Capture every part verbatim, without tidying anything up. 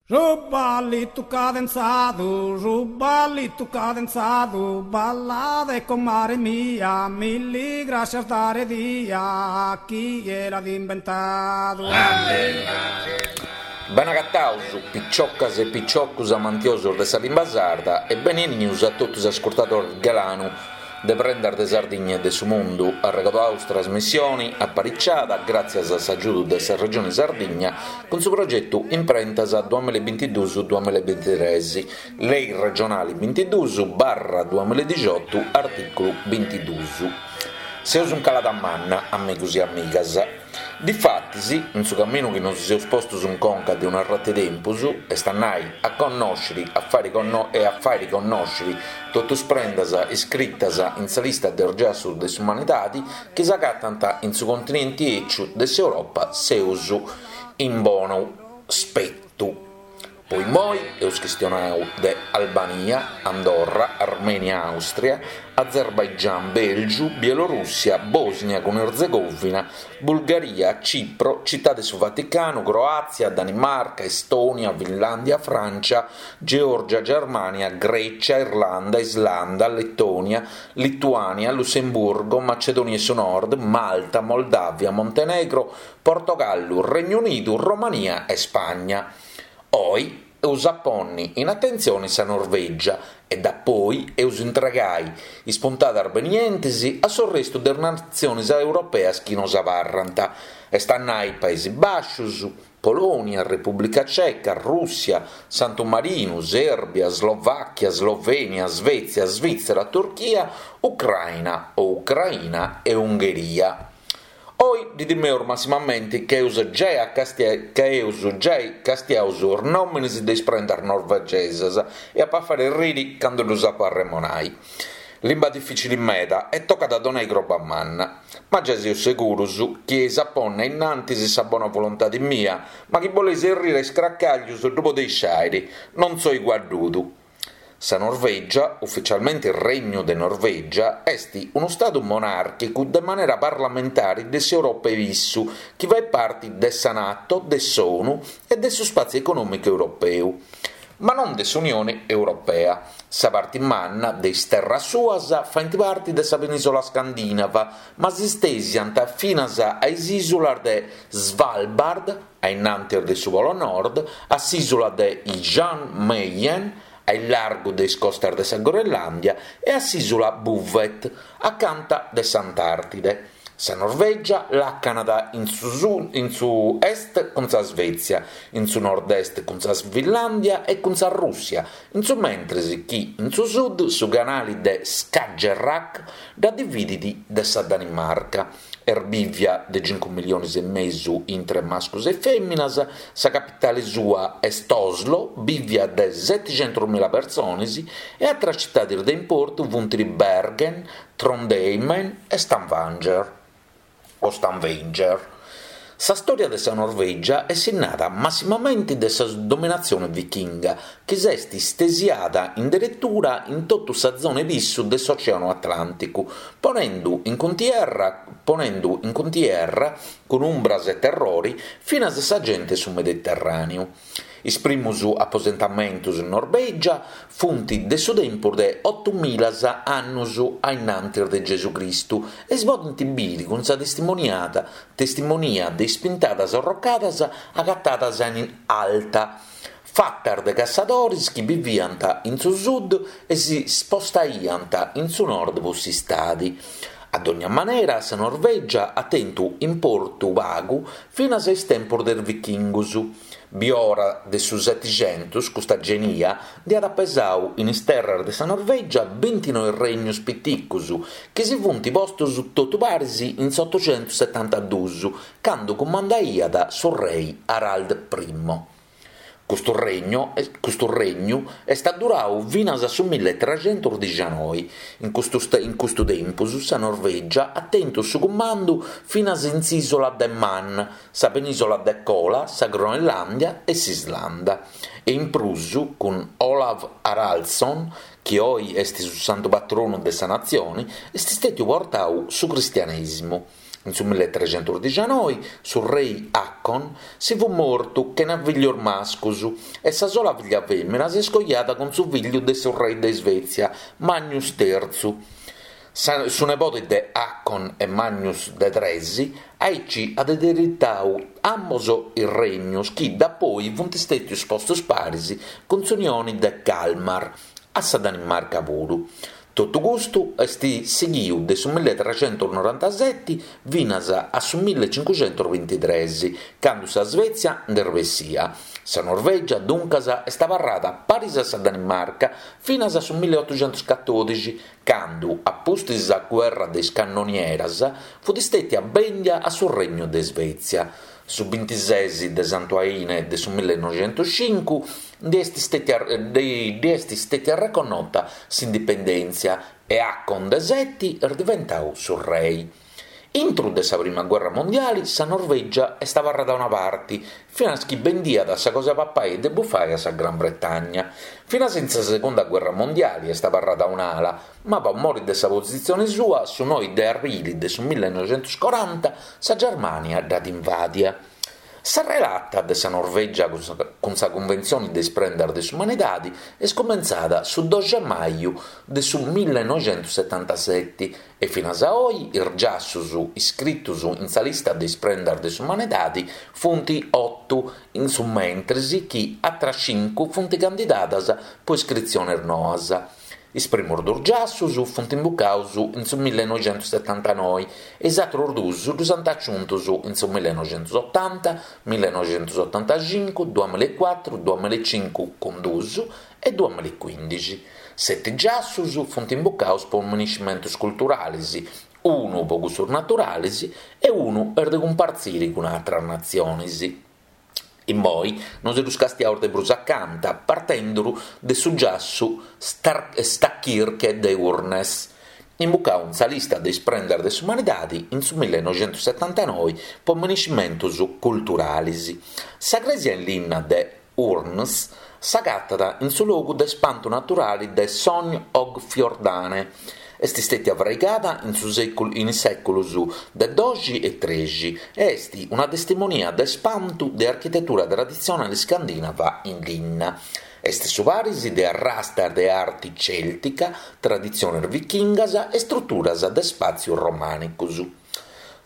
Su ballitu cadenzadu, su ballitu cadenzadu, ballade comare mia, milli grascias dare dia, chie l'at imbentadu. Benagataus, piciocas e piciocus amantiosus de sa limba sarda e benenius a totu is ascurtadoris galanu de Prendas de Sardigna e de su Mundu. Arregodaus trasmissioni apariciada gràtzias a s'agiudu de sa Regioni Sardigna cun su progetu Imprentas duamilla e bintiduus duamilla e bintitres, Lei regionali bintiduus barra duamilla e dixiotu artìculu bintiduus. Seus in calada manna, amigus e amigas. Difatis, in su caminu chi nosi seus postus in conca de un'arratu 'e tempus, est a nai a connòsciri a fàiri e a fàiri connòsciri totu is prendas iscritas in sa lista de is giassus de s'umanidadi chi s'agatant in su continenti 'eciu de s'Europa, seus in bonu spetu. Po immoi eus chistionau de Albania, Andorra, Armènia Àustria, Azerbaigian, Bèlgiu, Bielorùssia, Bòsnia cun Erzegovina, Bulgaria, Cipro, Cità de su Vaticanu, Croàtzia, Danimarca, Estònia, Finlàndia, Frància, Geòrgia, Germània, Grècia, Irlanda, Islanda, Letònia, Lituània, Lussemburgo, Macedònia 'e su Nord, Malta, Moldàvia, Montenegro, Portogallu, Regnu Unidu, Romania e Spagna. Oi eus a ponni in atentzioni sa Norvègia e dapoi eus intregai is puntadas benientes a s'orrestu de is natziones europeas chi nos abarrant, est a nai Paesi Bàscius, Polònia, Repùblica Ceca, Rùssia, Santu Marinu, Sèrbia, Slovàchia, Slovènia, Svètzia, Svìtzera, Turchia, Ucraina o Ucraina e Ungheria. Oi ddi timeus massimamenti ca eus giai ca eus giai castiau is nòminis de is prendas norvegesas e apu a fari erriri candu ddus apu a arremonai. Limba dificili meda e tocat a donai croba manna. Ma giai seus segurus chi eis a ponni a innantis sa bona volontadi mia, ma chi boleis erriri a iscracàglius ddu podeis fàiri, non soi guaddudu. Sa Norvègia, ufitzialmente Regnu de Norvègia, est unu stadu monàrchicu de manera parlamentare de s'Europa 'e Pissu chi fait parte de sa Nato, de s'ONU e de su Spàtziu Econòmicu Europeu, ma non de s'Unione Europea. Sa parte manna de is terras suas faint parte de sa penìsula scandìnava, ma si istèsiant finas a is ìsulas de Svalbard, a innantis de su Polo Nord, a s'ìsula de Jan Mayen, a illargu de is costas de sa Groenlàndia, e a s'ìsula Bouvet, acanta de s'Antàrtide. Sa Norvègia làcanat in su in su est cun sa Svètzia, in su nord-est cun sa Finlàndia e cun sa Rùssia, in su mentres chi in su sud su canale de Skagerrak dda dividit de sa Danimarca. Est bìvia de cincu milliones e mesu intre mascus e fèminas, sa capitale sua est Oslo, bìvia de seticentos mila persones, e àteras citades de importu funt Bergen, Trondheim e Stavanger o Stavanger. Sa stòria de sa Norvègia est sinnada massimamente de sa dominatzione vichinga, chi s'est istesiada in deretura in totu sa zona 'e pissu de s'Ocèanu Atlànticu, ponende in cuntierra ponende in cuntierra cun umbras e terrore finas sa gente 'e su Mediterràneu. Is primos aposentamentos in Norvègia funt de su tempus de oto milas annos a innantis de Gesù Cristu e si podent bìdere cun sa testimoniada testimonia de is pintadas arrocadas agatadas in Alta, fatas de cassadores chi biviant in su sud e si spostaiant in su nord pro s'istade. A dogna manera sa Norvègia at tentu importu pagu finas a is tempos de is vichingos. Biora de su Setixentos custa genia nd'iat pesadu in is terras de sa Norvègia bintinoe regnos piticos chi si funt postos totu paris in s'otocentos setantaduos, cando cumandaiat su rei Harald Primo. Custu regnu custu regnu est adduradu finas a su milletrecentos dixanoe. In custu in custu tempus sa Norvègia at tentu su cumandu finas in s'ìsula de Man, sa penìsula de Kola, sa Groenlàndia e s'Islanda. E in prus cun Olav Haraldsson, chi oe est su santu patronu de sa natzione, est istètiu portadu su cristianèsimu. In su milletrecentusdixanoi su rei Haakon si fut mortu chena fillus mascus e sa sola filla fèmina s'est coiada cun su fillu de su rei de Svezia, Magnus Terzu. Su nebode de Haakon e Magnus de Tres aici at ereditau ambos is regnus chi dapoi funt stètius postus paris cun s'Unioni de Kalmar a sa Danimarca puru. Totu custu est sighiu de su milletrecentusnorantaseti finas a su millecincuxentusbintitres, candu sa Svezia nd'est bessia. Sa Norvègia, duncas, est abarrada paris a sa Danimarca finas a su milleotuxentuscatòdixi, candu, a pustis sa guerra de is cannonieras, fut stètia bèndia a su Regnu de Svezia. Su bintises de Santu Aine de su millenoixentuscincu ndi est stètia ddi est stètia reconnota s'indipendèntzia e Haakon de Seti est diventau su rei. Intru de sa prima guerra mondiali sa Norvègia est abarrada a una parti, finas chi bendiat sa cosa 'e papai e de bufai a sa Gran Bretagna. Finas in sa segunda guerra mondiali est abarrada a un'ala, ma po mori de sa positzione sua su noi de arbili de su millenoixentuscoranta sa Germània dd'at invàdia. Sa relata de sa Norvègia cun sa Cunventzione de is Prendas de s'Umanidade est cumentzada su doxi maju de su millenoixentussetantaseti e finas a oi is giassus iscritos in sa lista de is Prendas de s'Umanidade funt otu, in su mentris chi atras cincu funt candidadas po iscritziones noas. Is primos duos giassus funt imbucados in su millenoixentussetantanoi e is àteros duos ddos ant aciuntos in su millenoixentusotanta, millenoixentusotantacincu, duamillaecuatru, duamillaecincu cun duos e duamillaecuìndixi. Seti giassus funt imbucados pro miniscimentos culturales, unu pro cussos naturales e unu est de cumpartzire cun àteras natziones. Immoi nos ddus castiaus de prus acanta, partendu de su giassu Stavkirke de Urnes, imbucau in sa lista de is prendas de s'umanidade in su millenoixentussetantanoi pro miniscimentos culturales. Sa crèsia in linna de Urnes s'agatat in su logu de spantu naturale de Sogn og Fjordane. Est stètia fraigada in su in is sèculos de doxi e trexi e est una testimonia de spantu de architetura traditzionale iscandinava in linna. Est su paris de arrastas de arte cèltica, traditziones vichingas e istruturas de spàtzios romànicos.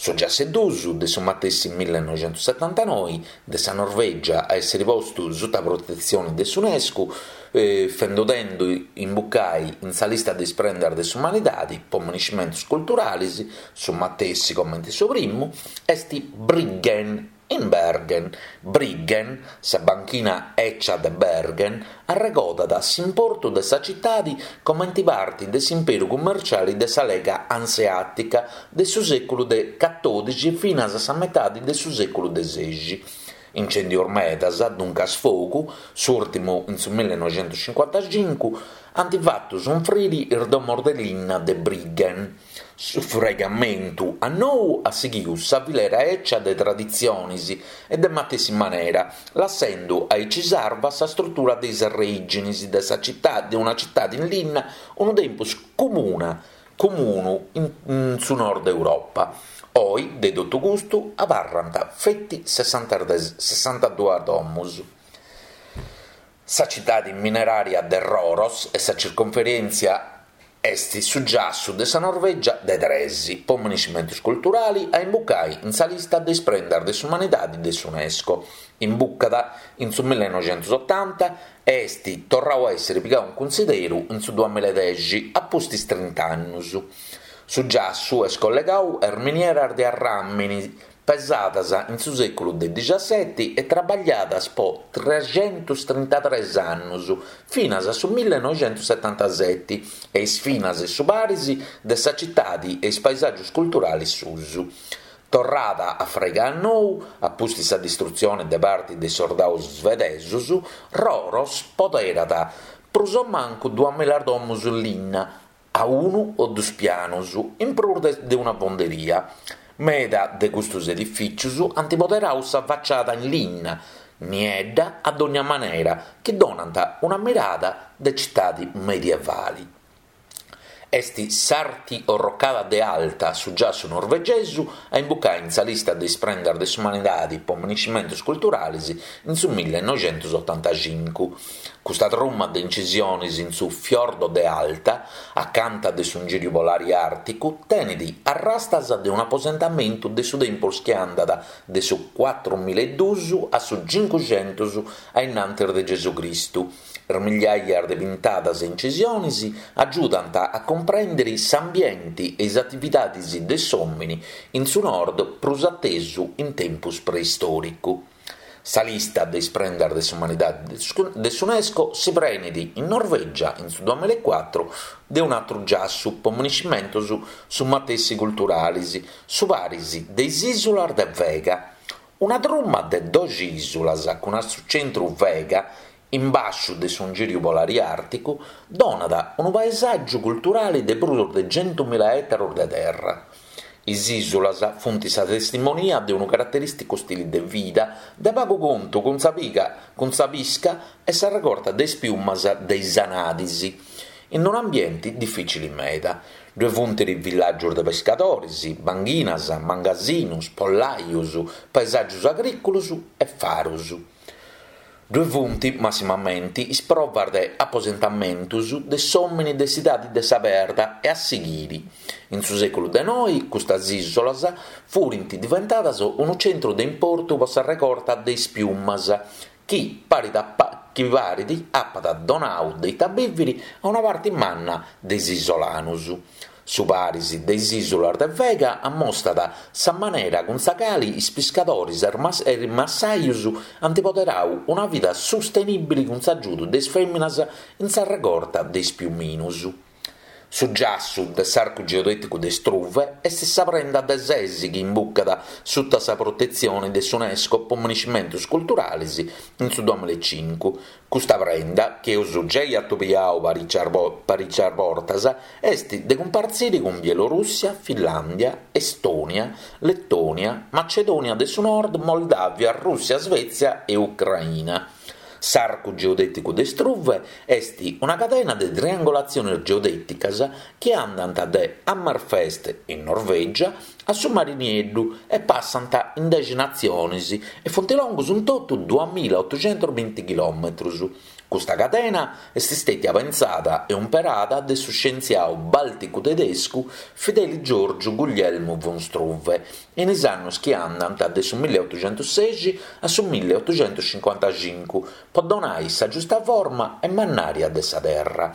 Su giassu duus de su matessi millenoixentussetantanoi de sa Norvègia a èssere postu suta protetzione de s'UNESCO, fendodendu imbucai in sa lista de is prendas de s'umanidade pro miniscimentos culturales, su matessi comente su primu, est Bryggen in Bergen. Bryggen, sa banchina ecia de Bergen, arregodat s'importu de sa citade comente parte de s'imperu cummerciale de sa Lega Anseàtica de su sèculu de catòdixi finas a sa metade de su sèculu de sexi. Incèndios medas, duncas fogu, s'ùrtimu in su millenoixentuscincuantacincu, ant fatu sunfrire is domos de linna de Bryggen. Su fraigamentu a nou at sighidu sa filera ecia de traditziones e de matessi manera, lassende aici sarva sa strutura de is arreìgines de sa citade, de una citade in linna unu tempus comuna, comunu in, in su nord Europa. Oi, de totu custu, abarrant feti sessantaduas domos. Sa citade minerària de Røros e sa circonferèntzia est su giassu de sa Norvègia de tres, pro miniscimentos culturale a imbucai in sa lista de is prendas de s'umanidade de s'UNESCO. Imbucada in su millenoixentosotanta e est torradu a èssere pigadu in cunsideru in su duamillaedexi, a pustis trint'annos. Su giassu est collegadu a is minieras de arràmini pesadas in su sèculu de diciaseti e traballadas pro trescentostrintatrès annos, finas a su millenoixentosetantaseti, e is finas su paris de sa citade e is paesàgios culturales suos. Torrada a fraigare a nou, a pustis sa distrutzione de parte de is sordados svedesos, Røros poderat prus o mancu duamilla domos in linna, a unu o duos pianos, in prus de una fonderia. Meda de custos edifìtzios ant poderadu sa faciada in linna, niedda a dogna manera, chi donant una mirada de citade medievale. Est s'Arti Orrocada de Alta, su giassu norvegesu, a imbucai in sa lista de is prendas de s'umanidadi po minescimentus culturalis in su millenoixentusotantacincu. Custa truma de incisionis in su fiordo de Alta, acanta de su ingìriu polari àrticu, tenet arrastas de un'aposentamentu de su tempus chi andat de su cuatrumilla e duus a su cincuxentus a innantis de Gesù Cristu. Is migliaias de pintadas e incisionis agiudant a cumprèndere s'ambiente e is atividades de s'òmine in su nord prus a tesu in tempus preistòricu. Sa lista de is prendas de s'umanidade de s'UNESCO si prenet in Norvègia in su duamilla e cuatru de un'àteru giassu po minescimentos su matessi culturales, su paris de is ìsulas de Vega. Una truma de doxi ìsulas cun a su centru Vega, in bàsciu de su ingìriu polari àrticu, donat unu paesàgiu culturale de prus de centumila ètaros de terra. Is ìsulas funt sa testimonia de unu caraterìsticu stile de vida de pagu contu cun sa piga, cun sa pisca e sa regorta de is piumas de is anadis, in un'ambiente difìcile meda. Ddoe funt villàgios de pescadores, banghinas, mangasinus, pollajos, paesàgios agrìculos e faros. Ddoe funt, massimamente, is provas de aposentamentos de s'òmine de s'idade de sa perda e a sighire. In su sèculu de noe, custas ìsulas furint diventadas unu centru de importu pro sa regorta de is piumas, chi paret chi paret apat donadu de ite bìvere a una parte manna de is isolanos. Su paris de is ìsulas de Vega ammostat sa manera cun sa cale is piscadores e is massajos ant poderadu una vida sustenìbile cun s'agiudu de is fèminas in sa regorta de is piuminos. Su giassu de s'arcu geodèticu de Struve est sa prenda de ses chi imbucat sutta sa protetzione de s'UNESCO po minescimentos culturales in su duamilla e cincu. Custa prenda, chi eus giai atobiadu parìcias bortas, est de cumpartzire cun Bielorùssia, Finlàndia, Estònia, Letònia, Macedònia de su Nord, Moldàvia, Rùssia, Svètzia e Ucraina. S'arcu geodèticu de Struve est una cadena de triangolatziones geodèticas chi andant de Hammerfest, in Norvègia, a su Mare Nieddu e passant in dexi natziones e funt longos in totu duamilla otocentos binti chilòmetros. Custa cadena est istètia pensada e umperada de su scientziadu bàlticu-tedescu Fideli Giorgio Guglielmo von Struve in is annos chi andant de su milleotoxentosexi a su milleotoxentocincuantacincu po donare sa giusta forma e mannària de sa Terra.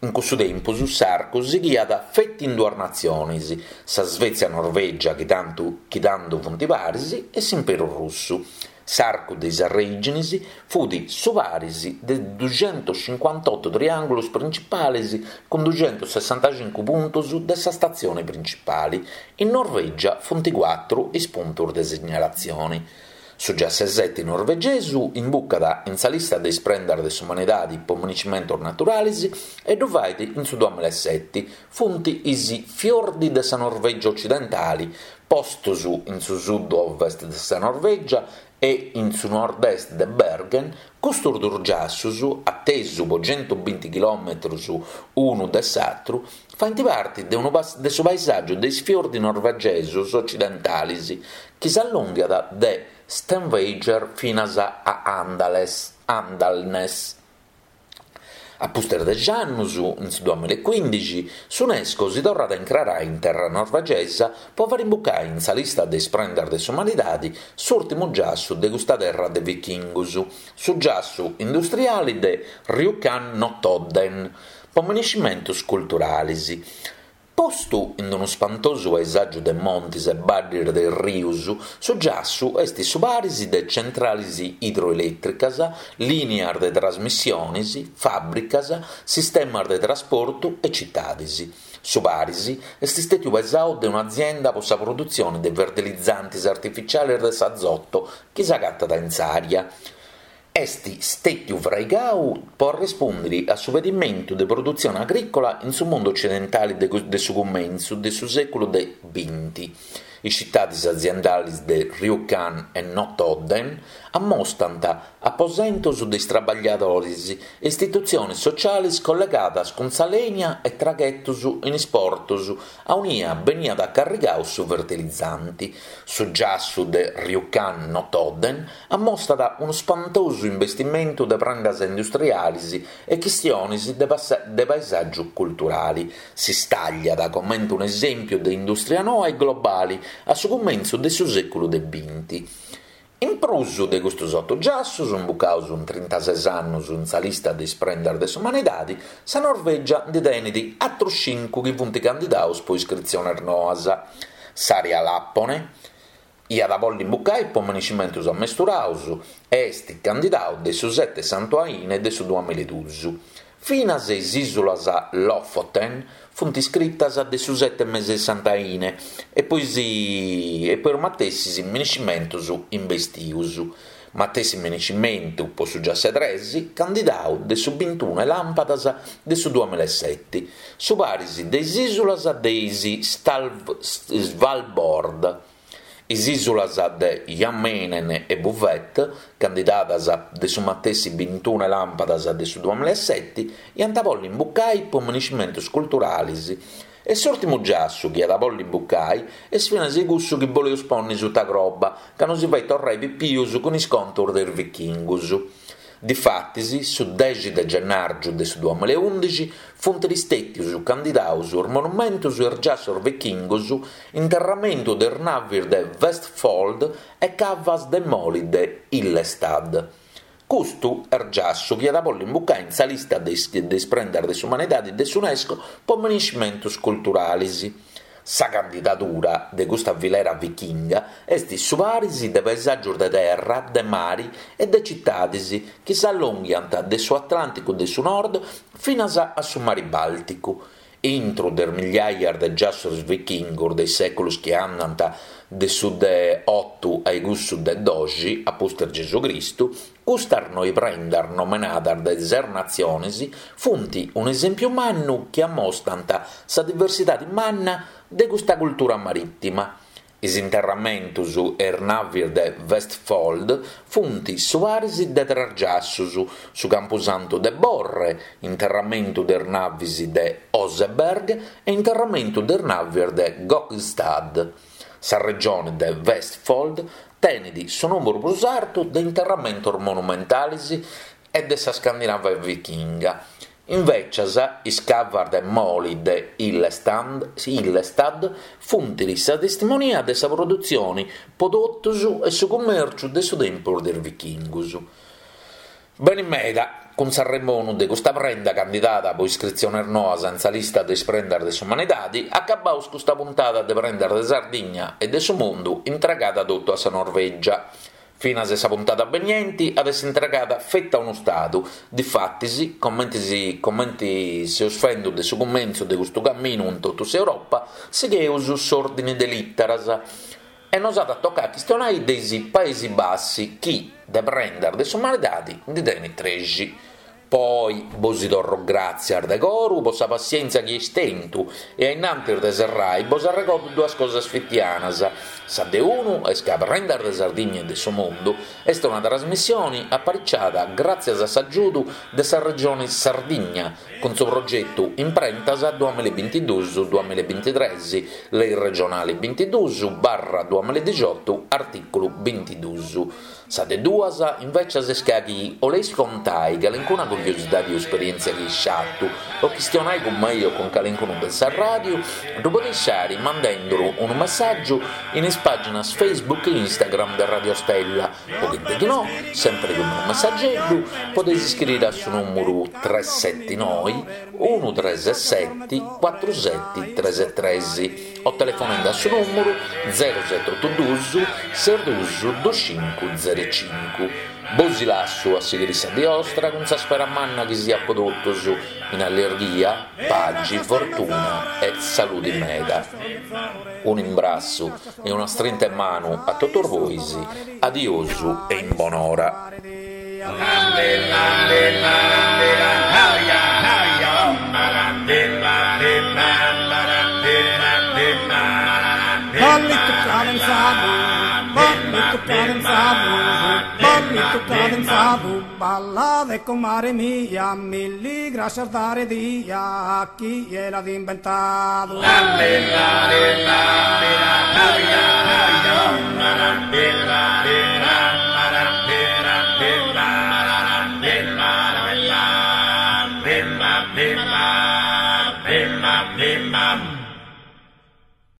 In cussu tempus s'arcu sighiat feti in duas natziones, sa Svezia-Norvègia chi tantu chi tando funt paris e s'Imperu Russu. S'arcu de is arrèigines fut su paris de duxentocincuantoto triàngulos printzipales cun duxentosessantacincu puntos de sa statzione printzipale. In Norvègia funt cuatru is puntos de signalatzione. Su dexessete norvegesu imbucat in sa lista de is prendas de s'umanidade po minescimentos naturales e ddu fait in su duamilla e sete. Funt is fiordi de sa Norvègia occidentale, postos in su sud-ovest de sa Norvègia e in su nord-est de Bergen, custos duos giassos, a tesu po centobinti chilòmetros unu de s'àteru, faint parte de, unu, de su paesàgiu de is fiordi norvegesos occidentales, chi s'allonghiat de Stavanger finas a Andales, Andalnes. A pustis de annos, in su duamilla e quindixi, s'UNESCO si torrat a incrarare in terra norvegesa po fare imbucare in sa lista de is prendas de s'umanidade s'ùrtimu giassu de custa terra de vichingos, su giassu industriale de Rjukan-Notodden, po minescimentos culturales. Postu in unu spantosu paesàgiu de montes e baddes de rios, su giassu est su paris de centrales idroelètricas, lìnias de trasmissiones, fàbricas, sistemas de trasportu e citades. Su paris est istètiu pesadu de un'azienda pro sa produtzione de fertilizantes artificiales de s'azoto chi s'agatat in s'àrea. Est stètiu fraigadu pro rispùndere a su pedimentu de produtzione agrìcola in su mundu occidentale de, de su cumentzu de su sèculu de binti. Is citades aziendales de Rjukan e Notodden ammostant aposentos de is traballadores e istitutziones sotziales collegadas cun sa lènia e traghetos in is portos a ue beniat carrigadu su fertilizante. Su giassu de Rjukan-Notodden ammostat unu ispantosu investimentu de prendas industriales e chistiones de, de paesàgiu culturale. S'istàlliat comente un'esèmpiu de indùstria noa e globale a su cumentzu de su sèculu de binti. In prus de custos oto giassos, imbucados in trintases annos in sa lista de is prendas de s'umanidade, sa Norvègia nde tenet àteros cincu chi funt candidados pro iscritziones noas. S'àrea Làpone iat a bolli imbucai po minescimentos ammesturados e est candidadu de su sete Santu Aine de su duamiladuos. Finas is ìsulas Lofoten funt iscritas de su sete mese de Sant'Aine e poi si, e poi is matessis minescimentos investidos. Matessi minescimentu po su giasse tres, candidadu de su bintuno làmpadas de su duamilasete. Su paris de is ìsulas de is Svalbard. Is ìsulas de Jan Mayen e Bouvet, candidadas de su matessi bintuno làmpadas de su duamilasete, iant a bolli imbucai po minescimentos culturales. E s'ùrtimu giassu chi at a bolli imbucai est finas cussu chi boleus ponni sutta croba, ca non si fait torrai pipius cun is contos de is vichingos. Difatis, su dexi de gennàrgiu de su duamilaundixi funt istètios candidados is monumentos e is giassos vichingos, interramentu de is naves de Vestfold e cavas de moli de Hyllestad. Custu est giassu chi at a bolli imbucai in sa lista de is, de is prendas de s'umanidade de s'UNESCO po minescimentos culturales. Sa candidadura de custa filera vichinga est su paris de paesàgios de terra, de mare e de citades chi s'allonghiant de su Atlànticu de su Nord finas a su Mare Bàlticu. Intro de migliaia de giassos vichingos de is sèculos chi andant de su de oto a cussu de doxi, a pustis Gesù Cristu, custas noi prendas nomenadas de ses natziones funt un'esèmpiu mannu chi ammostant sa diversidade manna de custa cultura marìtima. Is interramentos e is naves de Vestfold funt su paris de tres giassos, su Campusantu de Borre, interramentu de is naves de Oseberg e interramentu de is naves de Gokstad. Sa regione de Vestfold tenet su nùmeru prus artu de interramentos monumentales e de sa Scandinavia vichinga. Invecias, is cavas de moli de Hyllestad funt sa testimonia de sa produtzione prodottos e su cumèrciu de su tempus de is vichingos. Bene meda, cun s'arremonu de custa prenda candidada po iscritziones noas in sa lista de is prendas de s'umanidade, acabaus custa puntada de prendas de Sardigna e de su mundu intregada totu a sa Norvègia. Finas sa puntata beniente at essi intregada feta a unu stadu. Difatis, comente si, comente seus fendo de su cumentzu de custu camminu in totu s'Europa, sigheus s'ordine de lìteras. E nos at a toccare a chistionare de is Paesi Bassi chi, de prendas de s'umanidade, ndi tenit trexi. Poi bos torro gràtzias de coru po sa passièntzia chi eis tentu e a innantis de serrai bos arregordo duas cosas fitianas. Sa de unu est ca Prendas de Sardigna e de su Mundu est una trasmissione apariciada gràtzias a s'agiudu de sa Regione Sardigna cun su progetu Imprentas duamilabintiduus duamilavintitrès, Lei regionale bintiduus barra duamiladixotu, artìculu bintiduus. Sa de duas, invecias, est ca chi 'oleis contai calincuna curiosidade o esperièntzia chi eis fatu o chistionai cun mei o cun calincunu de sa ràdiu, ddu podeis fari mandenduru unu messàgiu in is pàginas Facebook e Instagram de Radio Stella o chi no, sempre cun unu messageddu, podeis iscriere a su nùmeru tres sette noi unu tres sette cuatru sette tres tres o telefonende a su nùmeru zero sette oto duus ses duus dus cincu zero cincu. Bos lassu a sighire sa die ostra cun sa spera manna chi siat po totus in allegria, paxi, fortuna e salude meda. Un imbrassu e una strinta 'e manu a totus bois, adiosu e in bonora. Ballito cadenzadu, ballitu cadenzadu, ballitu cadenzadu, ballade comare mia, milli grascias dare dia, chie l'at inventadu.